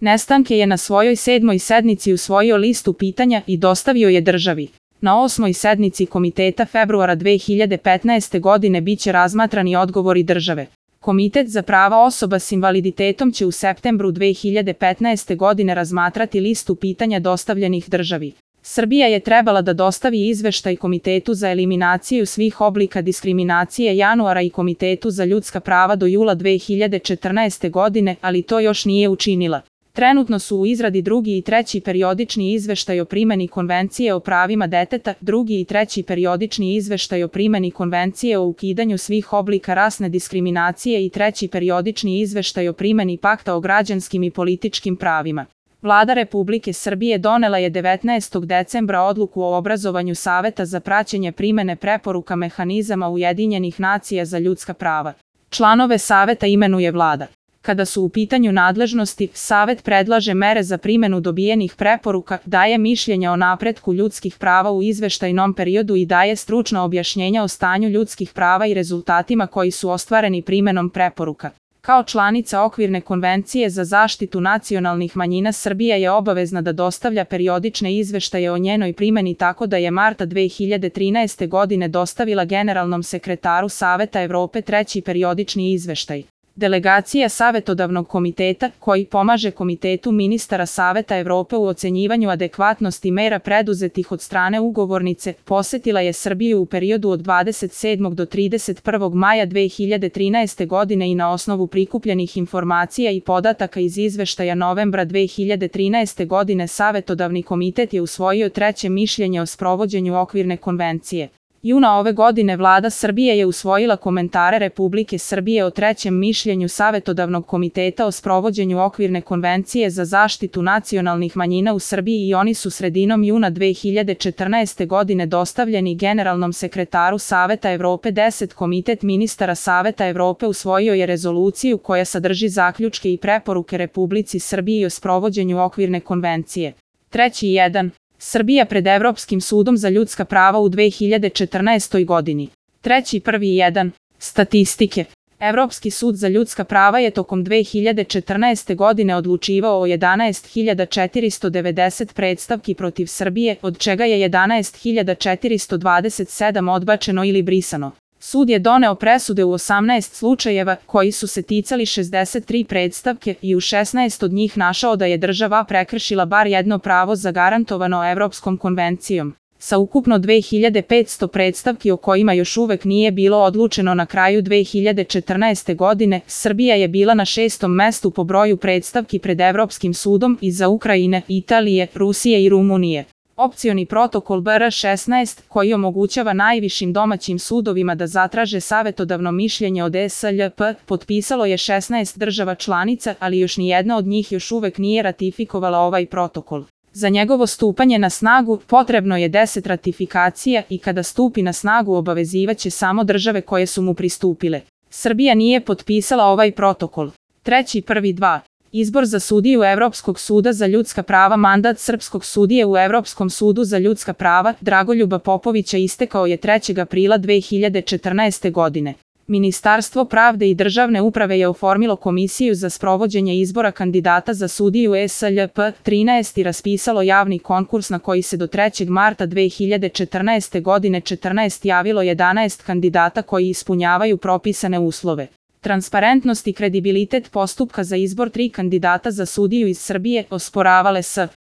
Nestanke je na svojoj 7. sednici usvojio listu pitanja i dostavio je državi. Na 8. sednici komiteta februara 2015. godine biće razmatrani odgovori države. Komitet za prava osoba s invaliditetom će u septembru 2015. godine razmatrati listu pitanja dostavljenih državi. Srbija je trebala da dostavi izveštaj Komitetu za eliminaciju svih oblika diskriminacije januara i Komitetu za ljudska prava do jula 2014. godine, ali to još nije učinila. Trenutno su u izradi drugi i treći periodični izveštaj o primeni Konvencije o pravima deteta, drugi i treći periodični izveštaj o primeni Konvencije o ukidanju svih oblika rasne diskriminacije i treći periodični izveštaj o primeni Pakta o građanskim i političkim pravima. Vlada Republike Srbije donela je 19. decembra odluku o obrazovanju Saveta za praćenje primene preporuka mehanizama Ujedinjenih nacija za ljudska prava. Članove Saveta imenuje Vlada. Kada su u pitanju nadležnosti, Savet predlaže mere za primenu dobijenih preporuka, daje mišljenja o napretku ljudskih prava u izveštajnom periodu i daje stručna objašnjenja o stanju ljudskih prava i rezultatima koji su ostvareni primenom preporuka. Kao članica Okvirne konvencije za zaštitu nacionalnih manjina, Srbija je obavezna da dostavlja periodične izveštaje o njenoj primeni, tako da je marta 2013. godine dostavila generalnom sekretaru Saveta Evrope treći periodični izveštaj. Delegacija Savetodavnog komiteta, koji pomaže Komitetu ministara Saveta Evrope u ocenjivanju adekvatnosti mera preduzetih od strane ugovornice, posetila je Srbiju u periodu od 27. do 31. maja 2013. godine i na osnovu prikupljenih informacija i podataka iz izveštaja novembra 2013. godine Savetodavni komitet je usvojio treće mišljenje o sprovođenju Okvirne konvencije. Juna ove godine Vlada Srbije je usvojila komentare Republike Srbije o trećem mišljenju Savetodavnog komiteta o sprovođenju Okvirne konvencije za zaštitu nacionalnih manjina u Srbiji i oni su sredinom juna 2014. godine dostavljeni generalnom sekretaru Saveta Evrope. 10. Komitet ministara Saveta Evrope usvojio je rezoluciju koja sadrži zaključke i preporuke Republici Srbiji o sprovođenju Okvirne konvencije. 3.1. Srbija pred Evropskim sudom za ljudska prava u 2014. godini. 3.1. Statistike. Evropski sud za ljudska prava je tokom 2014. godine odlučivao o 11.490 predstavki protiv Srbije, od čega je 11.427 odbačeno ili brisano. Sud je doneo presude u 18 slučajeva, koji su se ticali 63 predstavke i u 16 od njih našao da je država prekršila bar jedno pravo zagarantovano Evropskom konvencijom. Sa ukupno 2500 predstavki o kojima još uvek nije bilo odlučeno na kraju 2014. godine, Srbija je bila na 6. mestu po broju predstavki pred Evropskim sudom iza Ukrajine, Italije, Rusije i Rumunije. Opcioni protokol BR 16, koji omogućava najvišim domaćim sudovima da zatraže savetodavno mišljenje od SLP, potpisalo je 16 država članica, ali još nijedna od njih još uvek nije ratifikovala ovaj protokol. Za njegovo stupanje na snagu potrebno je 10 ratifikacija i kada stupi na snagu obavezivaće samo države koje su mu pristupile. Srbija nije potpisala ovaj protokol. 3.1.2. Izbor za sudiju Evropskog suda za ljudska prava. Mandat srpskog sudije u Evropskom sudu za ljudska prava, Dragoljuba Popovića, istekao je 3. aprila 2014. godine. Ministarstvo pravde i državne uprave je oformilo komisiju za sprovođenje izbora kandidata za sudiju SLP 13 i raspisalo javni konkurs na koji se do 3. marta 2014. godine 14 javilo 11 kandidata koji ispunjavaju propisane uslove. Transparentnost i kredibilitet postupka za izbor 3 kandidata za sudiju iz Srbije osporavale S.